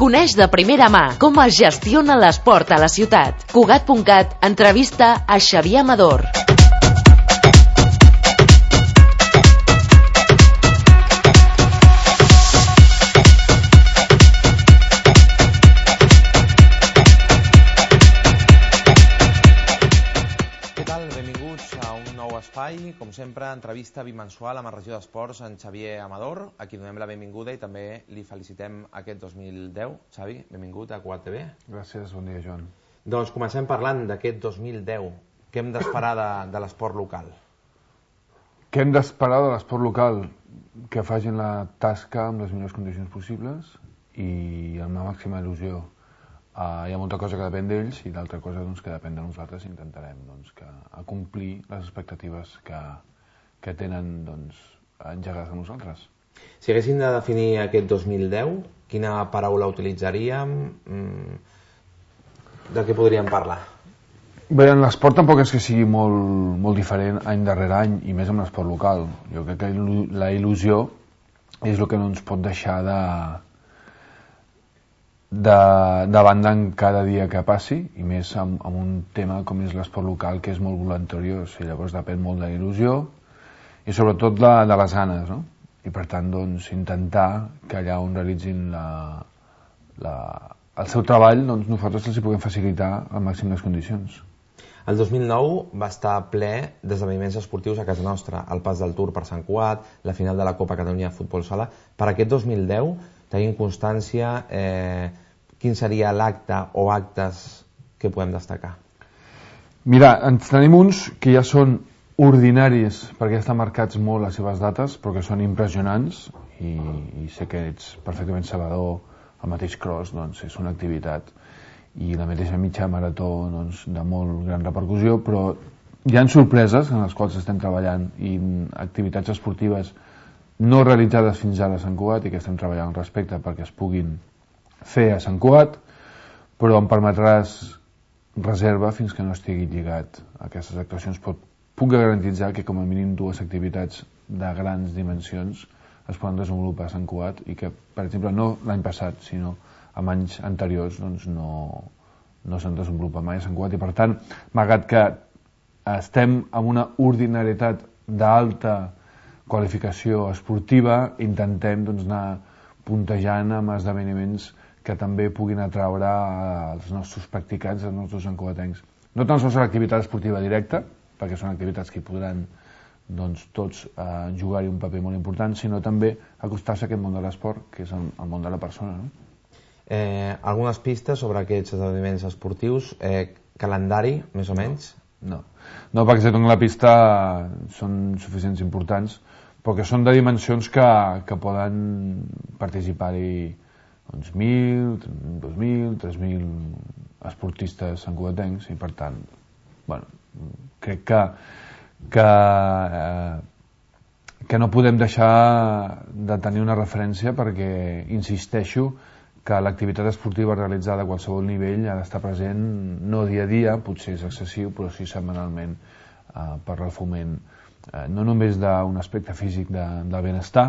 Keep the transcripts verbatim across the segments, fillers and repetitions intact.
Coneix de primera mà com es gestiona l'esport a la ciutat. Cugat punt cat entrevista a Xavier Amador. Espai, com sempre, entrevista bimensual amb la regió d'esports en Xavier Amador, a qui donem la benvinguda i també li felicitem aquest dos mil deu. Xavi, benvingut a Cugat T V. Gràcies, bon dia, Joan. Doncs comencem parlant d'aquest dos mil deu. Què hem d'esperar de, de l'esport local? Què hem d'esperar de l'esport local? Que facin la tasca amb les millors condicions possibles i amb la màxima il·lusió. Uh, hi ha molta cosa que depèn d'ells i d'altra cosa doncs, que depèn de nosaltres. Intentarem doncs, que, a complir les expectatives que, que tenen doncs, engegades a nosaltres. Si haguéssim de definir aquest dos mil deu, quina paraula utilitzaríem? Mm, de què podríem parlar? Bé, en l'esport tampoc és que sigui molt, molt diferent any darrere any, i més amb l'esport local. Jo crec que la il·lusió és el que no ens pot deixar de de, de banda en cada dia que passi, i més amb, amb un tema com és l'esport local, que és molt voluntariós, i llavors depèn molt de la il·lusió i sobretot de, de les ganes, no? I per tant doncs, intentar que allà on realitzin la, la, el seu treball, doncs, nosaltres els hi puguem facilitar al màxim les condicions. El dos mil nou va estar ple d'esdeveniments esportius a casa nostra, el pas del Tour per Sant Cugat, la final de la Copa Catalunya de Futbol Sala. Per aquest dos mil deu tenim constància, eh, quin seria l'acte o actes que podem destacar? Mira, en tenim uns que ja són ordinaris perquè estan marcats molt les seves dates, però que són impressionants, i, i sé que ets perfectament sabedor, el mateix cross doncs, és una activitat, i la mateixa mitja marató doncs, de molt gran repercussió, però hi ha sorpreses en les quals estem treballant i activitats esportives no realitzades fins ara a Sant Cugat i que estem treballant al respecte perquè es puguin fer a Sant Cugat, però em permetràs reserva fins que no estigui lligat a aquestes actuacions. Però puc garantitzar que com a mínim dues activitats de grans dimensions es poden desenvolupar a Sant Cugat i que, per exemple, no l'any passat, sinó en anys anteriors doncs no, no s'han desenvolupat mai a Sant Cugat, i per tant, malgrat que estem en una ordinarietat d'alta qualificació esportiva, intentem doncs, anar puntejant amb esdeveniments que també puguin atraure els nostres practicants, els nostres santcugatencs. No tan sols l'activitat esportiva directa, perquè són activitats que hi podran doncs, tots eh, jugar-hi un paper molt important, sinó també acostar-se a aquest món de l'esport, que és el, el món de la persona. No? Eh, algunes pistes sobre aquests esdeveniments esportius, eh, calendari, més o menys? No, no perquè si dono la pista són suficients importants, però que són de dimensions que, que poden participar-hi doncs, mil, dos mil, tres mil esportistes santcugatencs, i per tant, bueno, crec que, que, eh, que no podem deixar de tenir una referència perquè, insisteixo, que l'activitat esportiva realitzada a qualsevol nivell ha d'estar present no dia a dia, potser és excessiu, però sí setmanalment eh, per al foment eh, no només d'un aspecte físic de, del benestar,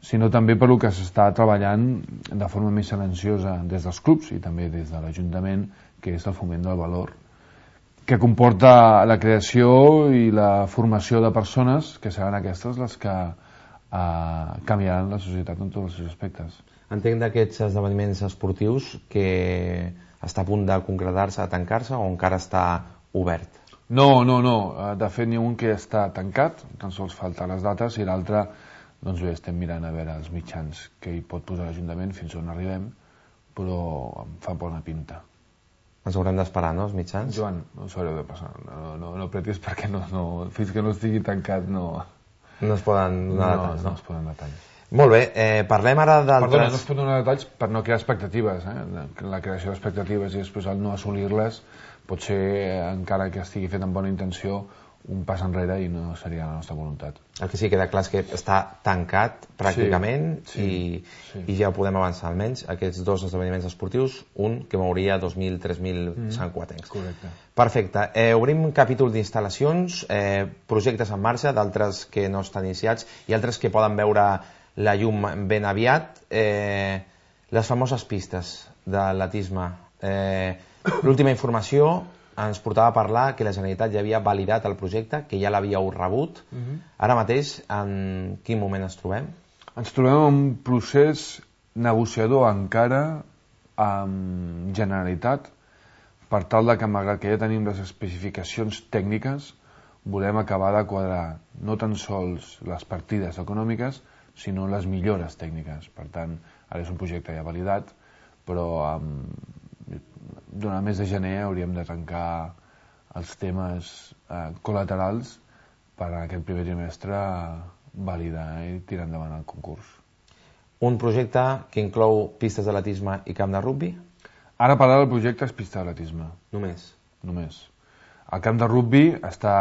sinó també per el que s'està treballant de forma més silenciosa des dels clubs i també des de l'Ajuntament, que és el foment del valor, que comporta la creació i la formació de persones que seran aquestes les que eh, canviaran la societat en tots els seus aspectes. Entenc d'aquests esdeveniments esportius que està a punt de concretar-se, de tancar-se, o encara està obert? No, no, no. De fet, n'hi ha un que està tancat, tan sols falta les dates, i l'altre, doncs bé, estem mirant a veure els mitjans que hi pot posar l'Ajuntament fins on arribem, però em fa bona pinta. Ens haurem d'esperar, no, els mitjans? Joan, no us haureu de passar. No, no, no pretis perquè no, no, fins que no estigui tancat no... No es poden donar no, detalls, no? No es poden detalls. Molt bé, eh, parlem ara d'altres... Perdona, no es pot donar detalls per no crear expectatives. Eh? La creació d'expectatives i després el no assolir-les pot ser, encara que estigui fet amb bona intenció, un pas enrere i no seria la nostra voluntat. El que sí queda clar és que està tancat pràcticament, sí, sí, i, sí. i ja podem avançar almenys aquests dos esdeveniments esportius, un que mouria dos mil a tres mil mm, santcugatencs. Correcte. Perfecte. Eh, obrim un capítol d'instal·lacions, eh, projectes en marxa, d'altres que no estan iniciats i altres que poden veure la llum ben aviat. Eh, Les famoses pistes d'atletisme. Eh, L'última informació ens portava a parlar que la Generalitat ja havia validat el projecte, que ja l'havíeu rebut. Uh-huh. Ara mateix, en quin moment ens trobem? Ens trobem en un procés negociador encara amb Generalitat per tal de que, malgrat que ja tenim les especificacions tècniques, volem acabar de quadrar no tan sols les partides econòmiques, sinó les millores tècniques. Per tant, ara és un projecte ja validat, però um, durant el mes de gener hauríem de tancar els temes uh, col·laterals per a aquest primer trimestre validar i tirar endavant el concurs. Un projecte que inclou pistes d'atletisme i camp de rugbi? Ara parlar del projecte és pista d'atletisme. Només? Només. El camp de rugbi està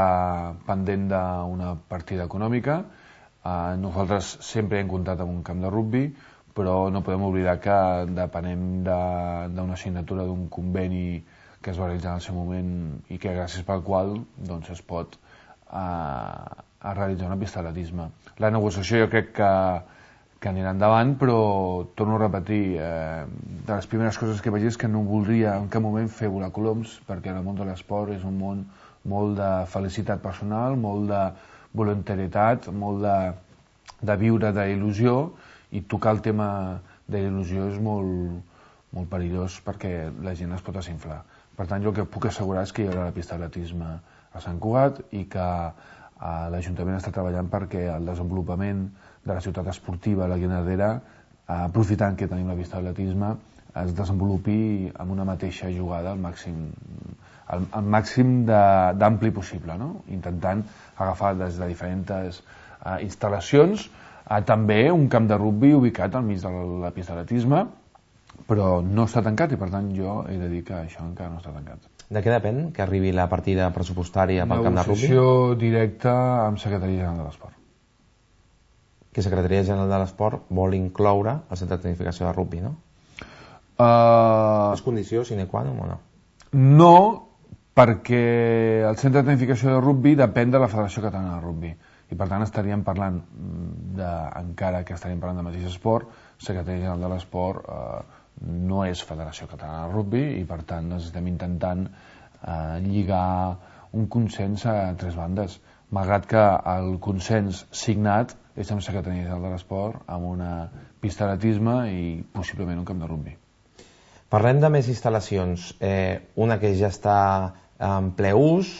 pendent d'una partida econòmica. Uh, nosaltres sempre hem comptat amb un camp de rugbi, però no podem oblidar que depenem d'una signatura d'un conveni que es va realitzar en el seu moment i que gràcies pel qual doncs, es pot uh, a realitzar una pista d'atletisme. La negociació jo crec que, que anirà endavant, però torno a repetir, eh, de les primeres coses que vaig dir és que no voldria en cap moment fer volar coloms, perquè el món de l'esport és un món molt de felicitat personal, molt de voluntarietat, molt de, de viure d'il·lusió, i tocar el tema de l'il·lusió és molt, molt perillós perquè la gent es pot desinflar. Per tant, jo el que puc assegurar és que hi haurà la pista d'atletisme a Sant Cugat i que eh, l'Ajuntament està treballant perquè el desenvolupament de la ciutat esportiva, la Guinardera, eh, aprofitant que tenim la pista d'atletisme, es desenvolupi amb una mateixa jugada al màxim, al, al màxim d'ampli possible, no? Intentant agafar des de diferents eh, instal·lacions a també un camp de rugbi ubicat al mig de la, la pista d'atletisme, però no està tancat i per tant jo he de dir que això encara no està tancat. De què depèn que arribi la partida pressupostària pel camp de rugbi? Negociació directa amb Secretaria General de l'Esport. Que Secretaria General de l'Esport vol incloure el centre de tecnificació de rugbi, no? Uh... És condició sine qua non o no? No, perquè el centre de tecnificació de rugbi depèn de la Federació Catalana de Rugbi. I per tant estaríem parlant de, encara que estaríem parlant de mateix esport, Secretaria General de l'Esport eh, no és Federació Catalana de Rugbi i per tant estem intentant eh, lligar un consens a tres bandes, malgrat que el consens signat és amb Secretaria General de l'Esport, amb una pista d'atletisme i possiblement un camp de rugbi. Parlem de més instal·lacions, eh, una que ja està en ple ús,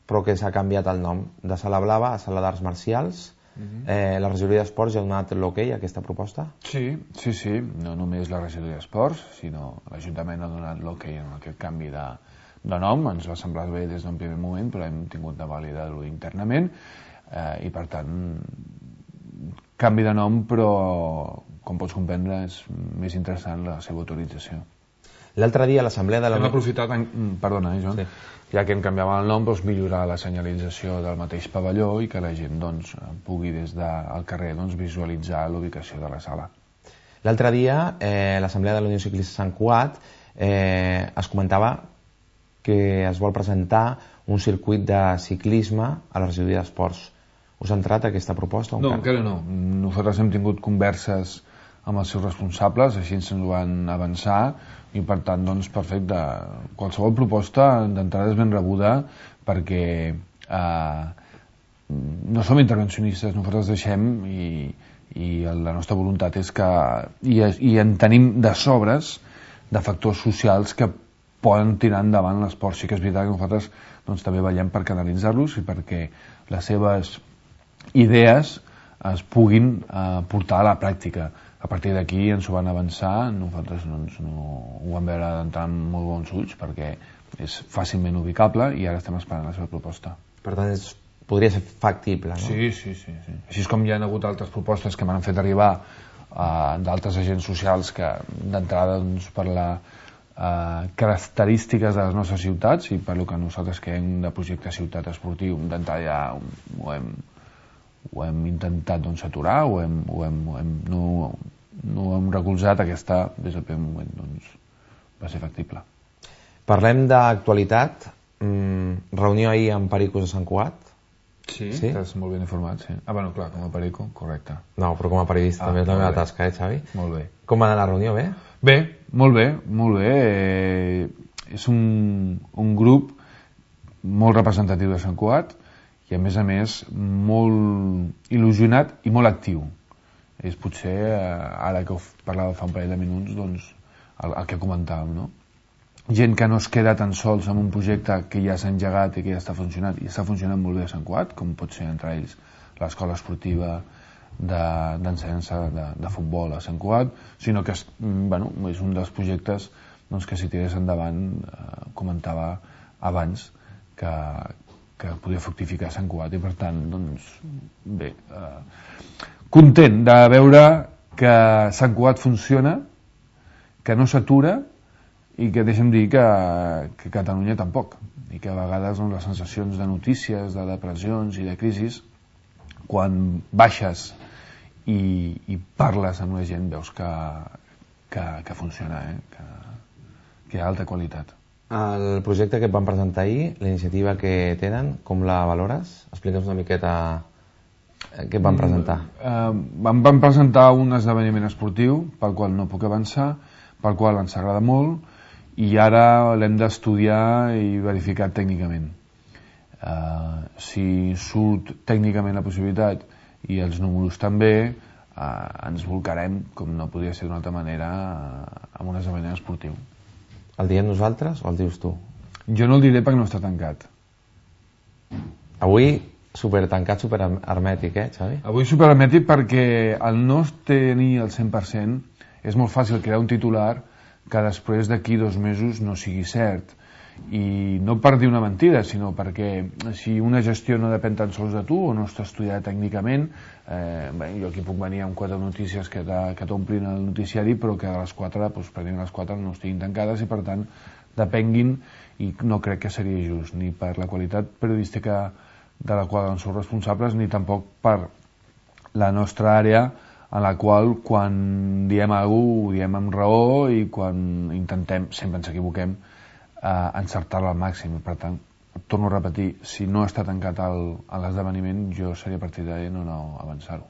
però que s'ha canviat el nom, de Sala Blava a Sala d'Arts Marcials. Uh-huh. eh, la regidoria d'Esports ja ha donat l'ok a aquesta proposta? Sí, sí, sí, no només la regidoria d'Esports, sinó l'Ajuntament ha donat l'ok en aquest canvi de, de nom. Ens va semblar bé des d'un primer moment, però hem tingut de validar-ho internament eh, i per tant canvi de nom, però com pots comprendre és més interessant la seva autorització. L'altre dia a l'assemblea de la... Hem aprofitat, en... perdona, eh, Joan, sí. Ja que hem canviat el nom, doncs, millorar la senyalització del mateix pavelló i que la gent doncs, pugui des del carrer doncs, visualitzar l'ubicació de la sala. L'altre dia, eh, a l'assemblea de la Unió Ciclista Sant Cugat, eh, es comentava que es vol presentar un circuit de ciclisme a la regidoria d'Esports. Us ha entrat aquesta proposta? No, encara no. Nosaltres hem tingut converses amb els seus responsables, així ens ho van avançar, i per tant, doncs, perfecte. Qualsevol proposta d'entrada és ben rebuda perquè eh, no som intervencionistes, nosaltres deixem i, i la nostra voluntat és que i, i en tenim de sobres de factors socials que poden tirar endavant l'esport. Sí que és veritat que nosaltres doncs, també veiem per canalitzar-los i perquè les seves idees es puguin eh, portar a la pràctica. A partir d'aquí ens ho van avançar, nosaltres doncs, no, ho vam veure d'entrar amb molt bons ulls perquè és fàcilment ubicable i ara estem esperant la seva proposta. Per tant, és, podria ser factible, no? Sí, sí, sí, sí. Així és com hi ha hagut altres propostes que m'han fet arribar uh, d'altres agents socials que d'entrada doncs, per les uh, característiques de les nostres ciutats i per lo que nosaltres creiem de projecte ciutat esportiu, d'entrada ja ho hem ho hem intentat doncs, aturar, ho hem, ho hem, ho hem, no, no ho hem recolzat, aquesta des del primer moment doncs, va ser factible. Parlem d'actualitat. Mm, reunió ahir amb Pericos de Sant Cugat. Sí, estàs molt ben informat, sí. Ah, bueno, clar, com a perico, correcte. No, però com a periodista també és la meva tasca, eh, Xavi? Molt bé. Com va anar la reunió, bé? Bé, molt bé, molt bé. Eh, és un, un grup molt representatiu de Sant Cugat i, a més a més, molt il·lusionat i molt actiu. És potser, ara que parlava fa un parell de minuts, doncs, el, el que comentàvem, no? Gent que no es queda tan sols amb un projecte que ja s'ha engegat i que ja està funcionant, i està funcionant molt bé a Sant Cugat, com pot ser entre ells l'escola esportiva d'ensenyança de, de, de futbol a Sant Cugat, sinó que és, bueno, és un dels projectes doncs, que si tirés endavant, eh, comentava abans, que, que podia fructificar a Sant Cugat, i per tant, doncs, bé, eh, content de veure que Sant Cugat funciona, que no s'atura, i que deixa'm dir que, que Catalunya tampoc, i que a vegades doncs, les sensacions de notícies, de depressions i de crisis, quan baixes i, i parles amb la gent veus que, que, que funciona, eh? que, que hi ha alta qualitat. El projecte que et van presentar ahir, la iniciativa que tenen, com la valores? Explica'ns una miqueta què et van presentar. Mm, eh, em van presentar un esdeveniment esportiu pel qual no puc avançar, pel qual ens agrada molt, i ara l'hem d'estudiar i verificar tècnicament. Uh, si surt tècnicament la possibilitat i els números també, uh, ens volcarem, com no podria ser d'una altra manera, uh, amb un esdeveniment esportiu. El diem nosaltres o el dius tu? Jo no el diré perquè no està tancat. Avui super tancat, super hermètic, eh, Xavi? Avui super hermètic perquè al no tenir el cent per cent és molt fàcil crear un titular que després d'aquí dos mesos no sigui cert. I no per dir una mentida, sinó perquè si una gestió no depèn tan sols de tu o no està estudiada tècnicament, eh, bé, jo aquí puc venir amb quatre notícies que t'omplin el noticiari, però que a les quatre, doncs, pràcticament les quatre no estiguin tancades i per tant depenguin, i no crec que seria just ni per la qualitat periodística de la qual ens som responsables, ni tampoc per la nostra àrea, en la qual quan diem alguna cosa ho diem amb raó i quan intentem, sempre ens equivoquem, eh, encertar-la al màxim. Per tant, torno a repetir, si no està tancat l'esdeveniment, jo seria partidari de no avançar-ho.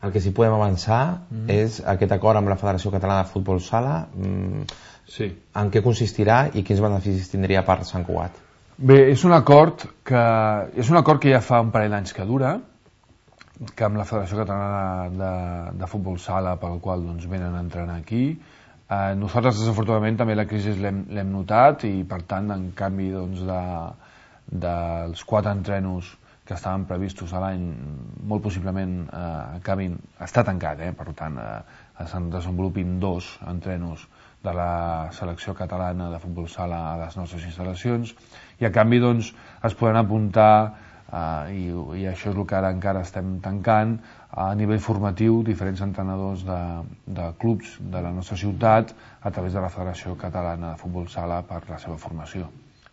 El que sí podem avançar mm -hmm. és aquest acord amb la Federació Catalana de Futbol Sala. Mm, sí. En què consistirà i quins beneficis tindria per Sant Cugat? Bé, és un acord que, és un acord que ja fa un parell d'anys que dura, que amb la Federació Catalana de, de Futbol Sala, pel qual doncs, venen a entrenar aquí. Eh, nosaltres, desafortunadament, també la crisi l'hem notat i, per tant, en canvi doncs, de, dels quatre entrenos que estaven previstos a l'any, molt possiblement eh, acabin, està tancat, eh, per tant, eh, se'n desenvolupin dos entrenos de la selecció catalana de futbol sala a les nostres instal·lacions, i a canvi doncs, es poden apuntar Uh, i, i això és el que ara encara estem tancant a nivell formatiu diferents entrenadors de, de clubs de la nostra ciutat a través de la Federació Catalana de Futbol Sala per la seva formació,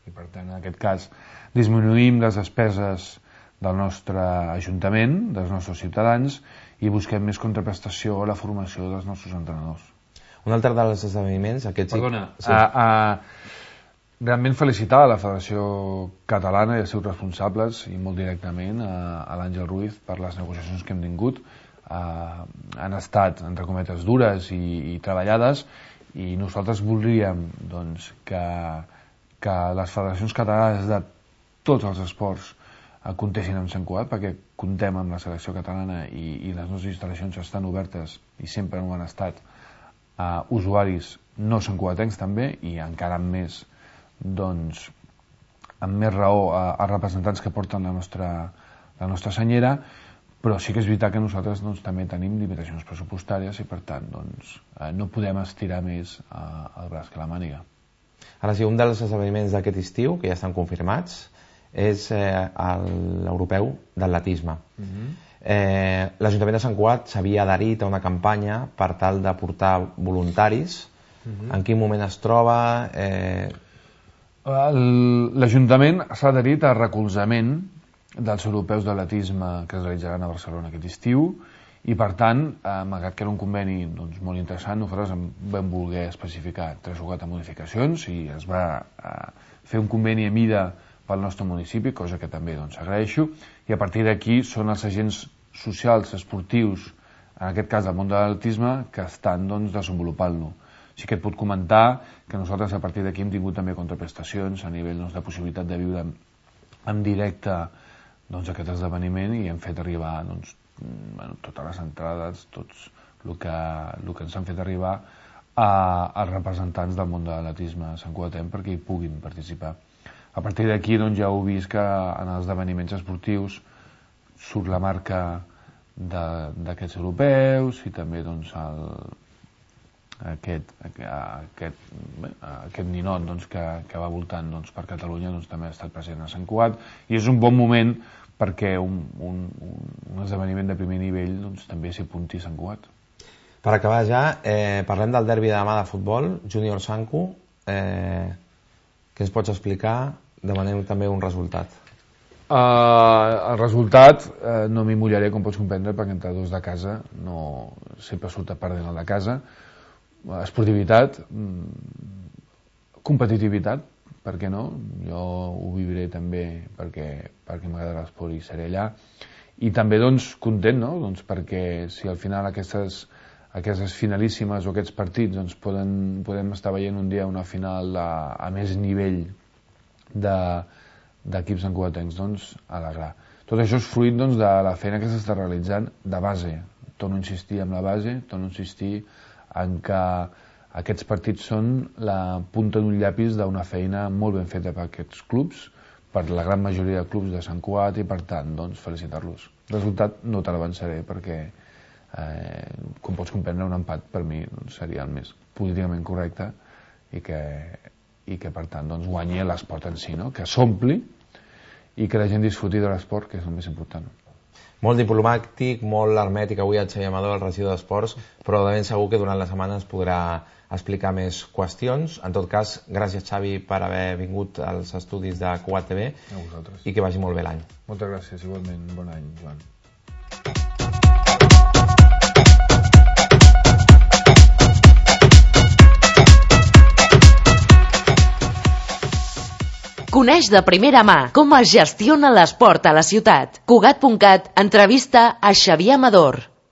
i per tant en aquest cas disminuïm les despeses del nostre ajuntament, dels nostres ciutadans, i busquem més contraprestació a la formació dels nostres entrenadors. Un altre dels esdeveniments, aquest sí... Perdona, sí. a, a realment felicitar a la Federació Catalana i els seus responsables, i molt directament a, a l'Àngel Ruiz per les negociacions que hem tingut. Uh, han estat, entre cometes, dures i, i treballades, i nosaltres voldríem doncs, que, que les federacions catalanes de tots els esports uh, comptessin amb Sant Cugat, perquè comptem amb la selecció catalana i, i les nostres instal·lacions estan obertes i sempre no han estat uh, usuaris no santcugatencs també, i encara més doncs amb més raó a, a representants que porten la nostra, la nostra senyera, però sí que és veritat que nosaltres doncs, també tenim limitacions pressupostàries i per tant doncs, eh, no podem estirar més eh, el braç que la màniga. Ara sí, un dels esdeveniments d'aquest estiu, que ja estan confirmats, és eh, l'europeu d'atletisme. Uh-huh. eh, L'Ajuntament de Sant Cugat s'havia adherit a una campanya per tal de portar voluntaris. Uh-huh. En quin moment es troba? Eh... L'Ajuntament s'ha adherit a recolzament dels europeus d'atletisme que es realitzaran a Barcelona aquest estiu, i per tant, eh, malgrat que era un conveni doncs, molt interessant, nosaltres vam voler especificar tres o quatre modificacions i es va eh, fer un conveni a mida pel nostre municipi, cosa que també doncs, agraeixo, i a partir d'aquí són els agents socials, esportius, en aquest cas del món de l'atletisme, que estan doncs, desenvolupant-lo. Sí que et puc comentar que nosaltres a partir d'aquí hem tingut també contraprestacions a nivell doncs, de possibilitat de viure en directe doncs, aquest esdeveniment i hem fet arribar doncs, bueno, totes les entrades, tots el que, el que ens han fet arribar a, als representants del món de l'atletisme a Sant Cugatenc perquè hi puguin participar. A partir d'aquí doncs, ja heu vist que en els esdeveniments esportius surt la marca d'aquests europeus i també doncs, el, aquest, aquest, bé, aquest ninot doncs, que, que va voltant doncs, per Catalunya doncs, també ha estat present a Sant Cugat i és un bon moment perquè un, un, un esdeveniment de primer nivell doncs, també s'hi apunti a Sant Cugat. Per acabar ja, eh, parlem del derbi de demà de futbol, Júnior Sanku. Eh, què ens pots explicar? Demanem també un resultat. Uh, el resultat uh, no m'hi mullaré, com pots comprendre, perquè entre dos de casa no sempre surt a perdent el de casa. Uh, esportivitat, mm, competitivitat, per què no? Jo ho viviré també perquè, perquè m'agrada l'esport i seré allà. I també doncs, content, no? Doncs perquè si al final aquestes, aquestes finalíssimes o aquests partits doncs, poden, podem estar veient un dia una final a, a més nivell d'equips de, santcugatencs, doncs, alegrar. Tot això és fruit doncs, de la feina que s'està realitzant de base. Torno a insistir en la base, torno a insistir en que aquests partits són la punta d'un llapis d'una feina molt ben feta per aquests clubs, per la gran majoria de clubs de Sant Cugat i per tant, doncs, felicitar-los. El resultat no te l'avançaré perquè, eh, com pots comprendre, un empat per mi doncs, seria el més políticament correcte i que i que per tant doncs, guanyi l'esport en si, no? Que s'ompli i que la gent disfruti de l'esport, que és el més important. Molt diplomàtic, molt hermètic avui el Xavier Amador, el regidor d'Esports, però de ben segur que durant la setmana ens podrà explicar més qüestions. En tot cas, gràcies Xavi per haver vingut als estudis de Cugat T V i que vagi molt bé l'any. Moltes gràcies, igualment. Bon any, Joan. Coneix de primera mà com es gestiona l'esport a la ciutat. Cugat punt cat entrevista a Xavier Amador.